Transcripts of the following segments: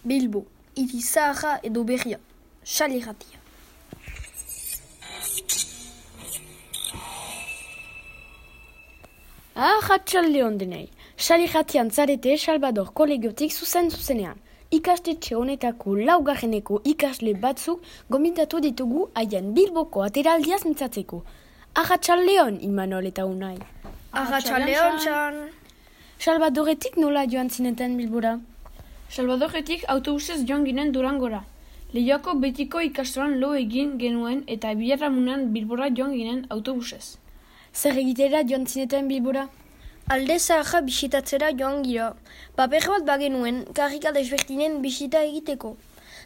Bilbo, hiri zaharra edo berria, Xali Irratia. Arratsalde on denei. Xali Irratian zarete Salvador kolegiotik zuzenean. Ikastetxe honetako laugarreneko ikasle batzuk gonbidatu ditugu haien Bilboko ateraldiaz mintzatzeko. Arratsaldeon, Imanol eta Unai. Arratsaldeon, Txan. Salvadoretik nola joan zineten Bilbora? Salvadoretik autobusez joan ginen Durangora. Leioako betiko ikastolan lo egin genuen eta Biharamunean Bilbora joan ginen autobusez. Zer egitera joan zineten Bilbora? Alde zaharra bisitatzera joan gira. Paper bat bagenuen, karrika desberdinen bisita egiteko.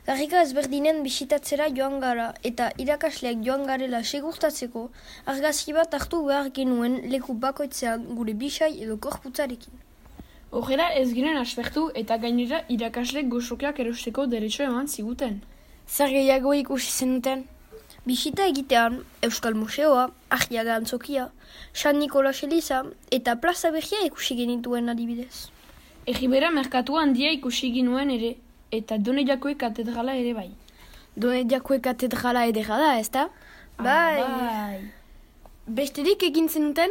Karrika ezberdinen bisitatzera joan gara eta irakasleak joan garela segurtatzeko argazki bat hartu behar genuen leku bakoitzean gure bisai edo korputzarekin. Horrela ez ginen aspertu eta gainera irakasleek gozokiak erosteko derecho eman ziguten. Zer gehiago ikusi zenuten? Bisita egitean, Euskal Museoa, Arriaga Antzokia, San Nikolas Eliza eta Plaza Berria ikusi genituen adibidez. Egibera merkatua handia ikusi ginuen ere, eta Doneiakoe katedrala ere bai. Doneiakoe katedrala edera da, ezta? Bai. Besterik egin zenuten?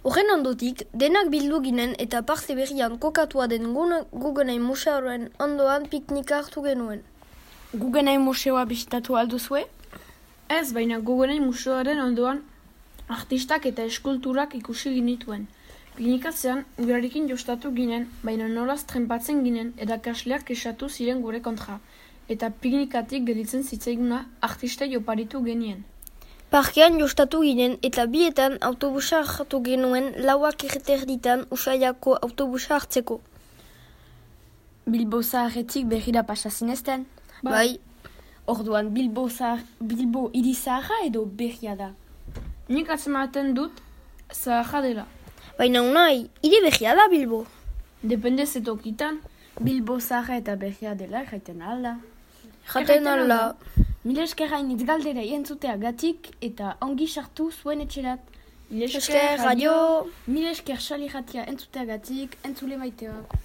Horren ondotik, denak bildu ginen eta parte berrian kokatua den Guggenheim Museoaren ondoan piknika hartu genuen. Guggenheim Museoa bisitatu alduzue? Ez, baina Guggenheim Museoaren ondoan artistak eta eskulturak ikusi ginituen. Piknikatzean, urarekin jostatu ginen, baina nolaz trempatzen ginen erakasleak kexatu ziren gure kontra. Eta piknikatik gelditzen zitzaiguna artistei oparitu genien. Parkean jostatu ginen eta bietan autobusa hartu genuen 4:00 Usaiako autobusa hartzeko. Bilbo zaharretik berrira pasa zinezten? Bai. Orduan Bilbo hiri zaharra edo berria da? Nik atzematen dut zaharra dela. Baina Unai, hiri berria da Bilbo. Depende zetokitan. Bilbo zaharra eta berria dela jaiten alda. Jaten alda. Mila esker hainitz galdera entzuteagatik eta ongi sartu zuen etxerat. Mila esker, radio. Mila esker Xali Irratia entzuteagatik, entzule maiteak.